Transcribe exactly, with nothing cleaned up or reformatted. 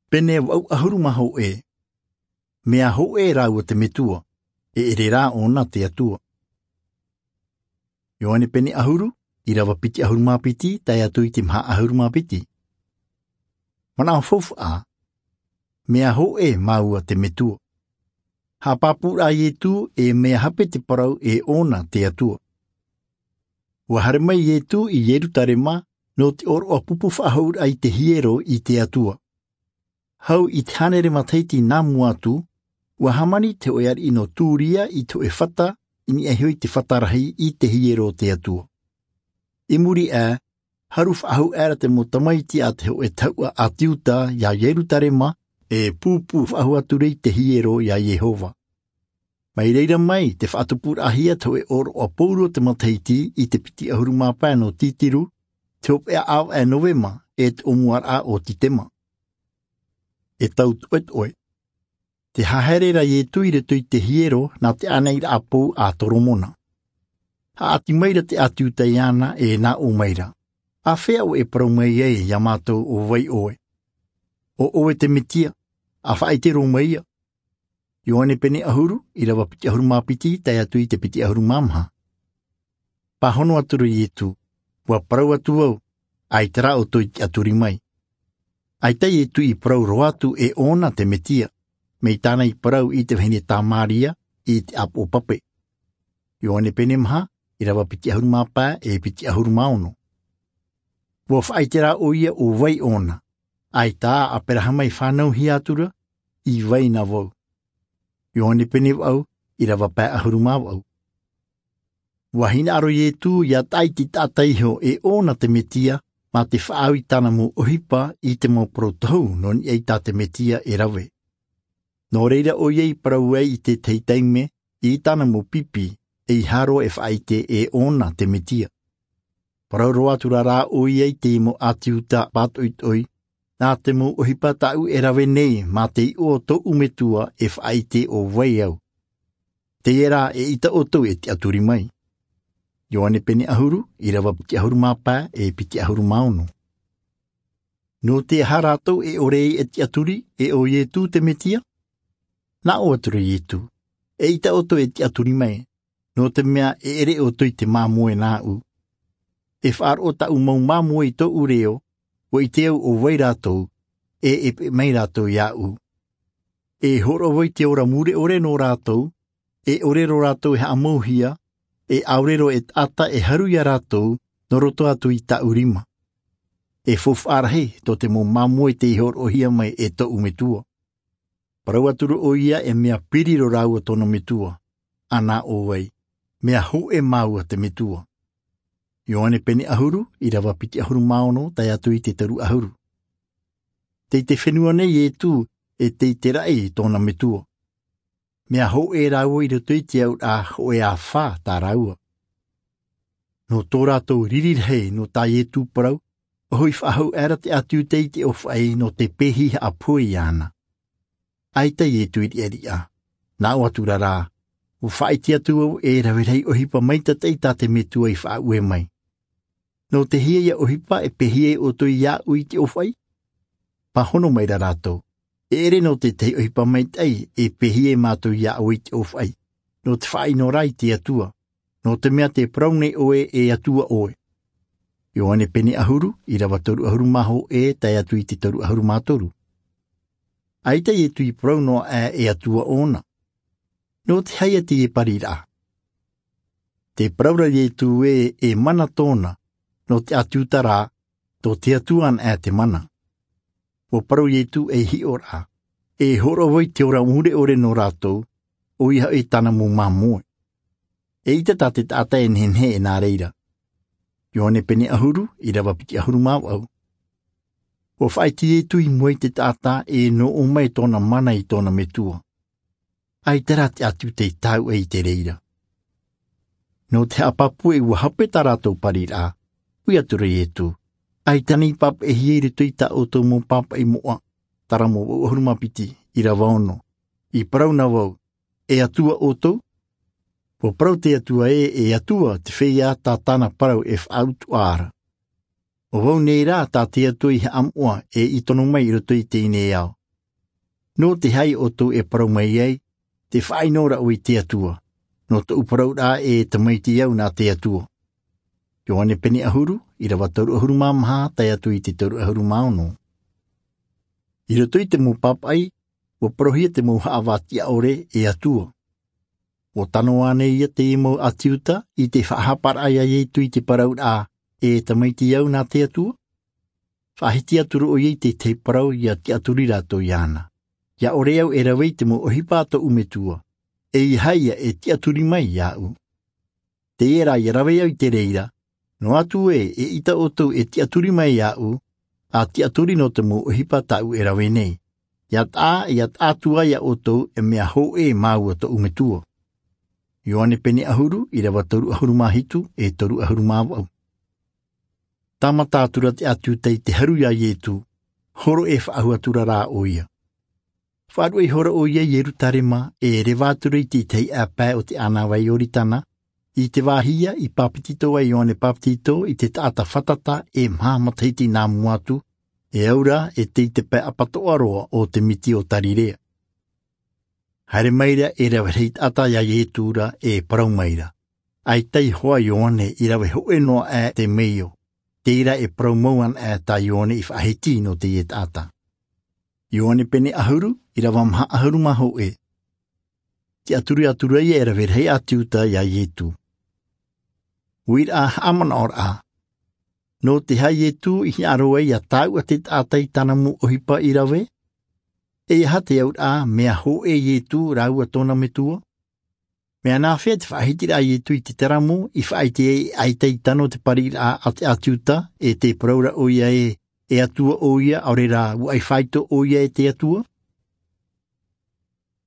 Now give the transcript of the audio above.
Pene vaʻu ʻahuru mā hōʻē. Mea hōʻē rāua te Metua, e ʻere rā ʻōna te Atua. Ioane pene ʻahuru, ʻīrava piti ʻahuru mā piti tae atu i te maha ʻahuru mā piti. Manaʻo faufaʻa. Mea hōʻē māua te Metua. Haʻapāpū rā Ietu e mea hape te parau e ʻōna te Atua. Ua haere mai Ietu i Ierutarema nō te ʻōroʻa pupu faʻahou raʻa i te hiero i te Atua. Hau i te hānere matahiti nā mua atu, ua hāmani te hōʻē ariʻi nō Turia i te hōʻē fata, i niʻa iho i te fata rahi i te hiero o te Atua. I muri aʻe, haru faʻahou aʻera te mau tamaiti a te hōʻē tahuʻa ʻāti Iuta iā Ierutarema, e pūpū faʻahou atu ra i te hiero iā Iehova. Mai reira mai te faʻatupuraʻahia te hōʻē ʻōroʻa pōuri o te matahiti i te piti ʻahuru mā pae nō Titiru, te hopeʻa ʻāvaʻe Novema, e te ʻōmuaraʻa o Titema. E tau toʻetoʻe. Te haere ra Ietu i roto i te hiero nā te ʻānaʻiraʻa pou a Toromona. Haʻati mai ra te ʻāti Iuta iāna e nā ʻō mai ra, āfea ʻoe e parau mai ai iā mātou ʻo vai ʻoe? ʻO ʻoe te Metia, a faʻaʻite roa mai ia. Ioane pene ʻahuru, ʻīrava piti ʻahuru mā piti tae atu i te piti ʻahuru mā maha. Pāhono atu ra Ietu, ua parau atu au, ʻaita rā ʻoutou i tiʻaturi mai. ʻAita Ietu i parau roa atu e ʻōna te Metia, mai tāna i parau i te vahine Tamaria, i te ʻāpoʻo pape. Ioane pene maha, ʻīrava piti ʻahuru mā pae, e piti ʻahuru mā ono. Ua faʻaʻite rā ʻoia ʻo vai ʻōna, ʻaita ā Aperahama i fānauhia atu ra, i vai na vau. Ioane pene vaʻu, ʻīrava pae ʻahuru mā vaʻu. Ua hinaʻaro Ietu ia taʻa ʻite taʻata iho e ʻōna te Metia, mā te faʻaau i tāna mau ʻohipa i te mau parau tohu nō niʻa i tā te Metia e rave. Nō reira ʻoia i parau ai i te tahi taime, i tāna mau pipi, ʻeiaha roa e faʻaʻite e ʻōna te Metia. Parau roa atu ra rā ʻoia i te mau ʻāti Iuta pātoʻitoʻi, nā te mau ʻohipa tāʻu e rave nei mā te iʻoa o tōʻu Metua e faʻaʻite ʻo vai au. Teie rā ʻeita ʻoutou e tiʻaturi mai. Ioane pene ʻahuru, ʻīrava piti ʻahuru mā pae, e piti ʻahuru mā ono. Nō te aha rātou e ʻore ai e tiʻaturi, e ʻo Ietu te Metia? Nā ʻō atu ra Ietu, ʻeita ʻoutou e tiʻaturi mai, nō te mea e ʻere ʻoutou i te māmoe nāʻu. E faʻaroʻo tāʻu mau māmoe i tōʻu reo, ʻua ʻite au ʻo vai rātou, e e peʻe mai rātou iāʻu. E hōroʻa vau i te ora mure ʻore nō rātou, e ʻore roa rātou e haʻamauhia, e ʻaore roa e taʻata e haru iā rātou, nō roto atu i tāʻu rima. E faufaʻa rahi tō te mau māmoe tei hōroʻahia mai e tōʻu Metua. Parau atu ra ʻoia e mea piri roa rāua tōna Metua, ʻa nā ʻō ai, mea hōʻē māua te Metua. Ioane pene ʻahuru, ʻīrava piti ʻahuru mā ono, tae atu i te toru ʻahuru. Tei te fenua nei Ietu, e tei te raʻi i tōna Metua. Mea hōʻē rāua i roto i te auraʻa hōʻē āfa tā rāua. Nō tō rātou riri rahi nō tā Ietu parau, ʻua hoʻi faʻahou aʻera te ʻāti Iuta i te ʻōfaʻi nō te pēhi haʻapohe iāna. ʻAita Ietu i riʻariʻa, nā ʻō atu ra rā, ʻua faʻaʻite atu au e rave rahi ʻohipa maitaʻi tā te Metua i faʻaue mai. Nō te hea ia ʻohipa e pēhi ai ʻoutou iāʻu i te ʻōfaʻi? Pāhono mai ra rātou, e ʻere nō te tahi ʻohipa maitaʻi e pēhi ai mātou iā ʻoe i te ʻōfaʻi, nō te faʻaʻino ra i te Atua, nō te mea tē parau nei ʻoe e Atua ʻoe. Ioane pene ʻahuru, ʻīrava toru ʻahuru mā hōʻē, tae atu i te toru ʻahuru mā toru. ʻAita Ietu i parau noa aʻe e Atua ʻōna. Nō te aha ia teie pariraʻa? Tē parau ra Ietu ē, e mana tōna, nō te ʻāti Iuta rā, tō te Atua anaʻe te mana. ʻUa parau Ietu ei hiʻoraʻa, e hōroʻa vau i te ora mure ʻore nō rātou, ʻoia hoʻi tāna mau māmoe. ʻEita tā te taʻata e nehenehe e nā reira. Ioane pene ʻahuru, ʻīrava piti ʻahuru mā vaʻu. ʻUa faʻaʻite Ietu i mua i te taʻata e nō ʻō mai tōna mana i tōna Metua. ʻAita rā te ʻāti Iuta i tāuʻa i te reira. Nō te haʻapāpū ē ʻua hape tā rātou pariraʻa, ui atu ra Ietu, ʻaita nei i pāpaʻihia i roto i tā ʻoutou mau pāpaʻi moʻa, Taramo vaʻu ʻahuru mā piti, ʻīrava ono. I parau na vau, e Atua ʻoutou? ʻUa parau te Atua ē, e Atua te feiā tā tāna parau e faʻautuʻa ra. ʻO vau nei rā tā te Atua i haʻamoʻa e i tono mai i roto i teie nei ao. Nō te aha ʻoutou e parau mai ai, te faʻaʻino raʻu i te Atua? Nō tōʻu parau rā e tamaiti au nā te Atua. Ioane pene ʻahuru, ʻirava toru ʻahuru mā maha tae atu i te toru ʻahuru mā ono. I roto i te mau pāpaʻi, ua parauhia te mau haʻavā tiʻaʻore e Atua. Ua tano ānei ia te mau ʻāti Iuta i te faʻahaparaʻa iā Ietu i te parau rā e tamaiti au nā te Atua? Faʻahiti atu roʻo ia i te tahi parau ia tiʻaturi rātou iāna. Ia ʻore au e rave i te mau ʻohipa a tōʻu metua, e ia haʻa ia e tiʻaturi mai iāʻu. Teie rā ia rave au i te reira, noa atu ē e ʻita ʻoutou e tiʻaturi mai iāʻu, a tiʻaturi nō te mau ʻohipa tāʻu e rave nei. Ia taʻa ia taʻa atu ai iā ʻoutou e mea hōʻē māua tōʻu metua. Ioane pene ʻahuru, ʻirava toru ʻahuru mā hitu e toru ʻahuru mā vaʻu. Tāmata atu ra te ʻāti Iuta i te haru iā Ietu, horo e faʻahou atu ra rā ʻo ia. Faʻaruʻe ihora ʻo ia i Ierutarema, e reva atu ra i te tahi ʻāpae o te ʻānāvai Ioritana, i te vāhi ia i pāpetito ai Ioane Pāpetito i te taʻata fātata e maha matahiti nā mua atu, e au ra e tei te pae ʻapatoʻa roa o te miti o Tarirea. Haere mai ra e rave rahi taʻata iā Ietu ra e parau mai ra, ʻAita iho ā Ioane i rave hōʻē noa aʻe te meio, teie rā e parau mau ana aʻe tā Ioane i faʻahiti nō teie taʻata. Ioane pene ʻahuru, ʻirava maha ʻahuru mā hōʻē. Tiʻaturi atu ra ia e rave rahi ʻāti Iuta iā Ietu. Uiraʻa haʻamanaʻoraʻa. Nō te aha Ietu i hinaʻaro ai ia tāuʻa te taʻata i tāna mau ʻohipa i rave? E aha te auraʻa mea hōʻē Ietu rāua tōna metua? Mea nāfea te faʻahitiraʻa a Ietu i te teramo i faʻaʻite ai e ʻaita i tano te pariraʻa a te ʻāti Iuta, e tē parau ra ʻo ia ē, e Atua ʻo ia, ʻaore rā, ua ʻai faito ʻo ia e te Atua?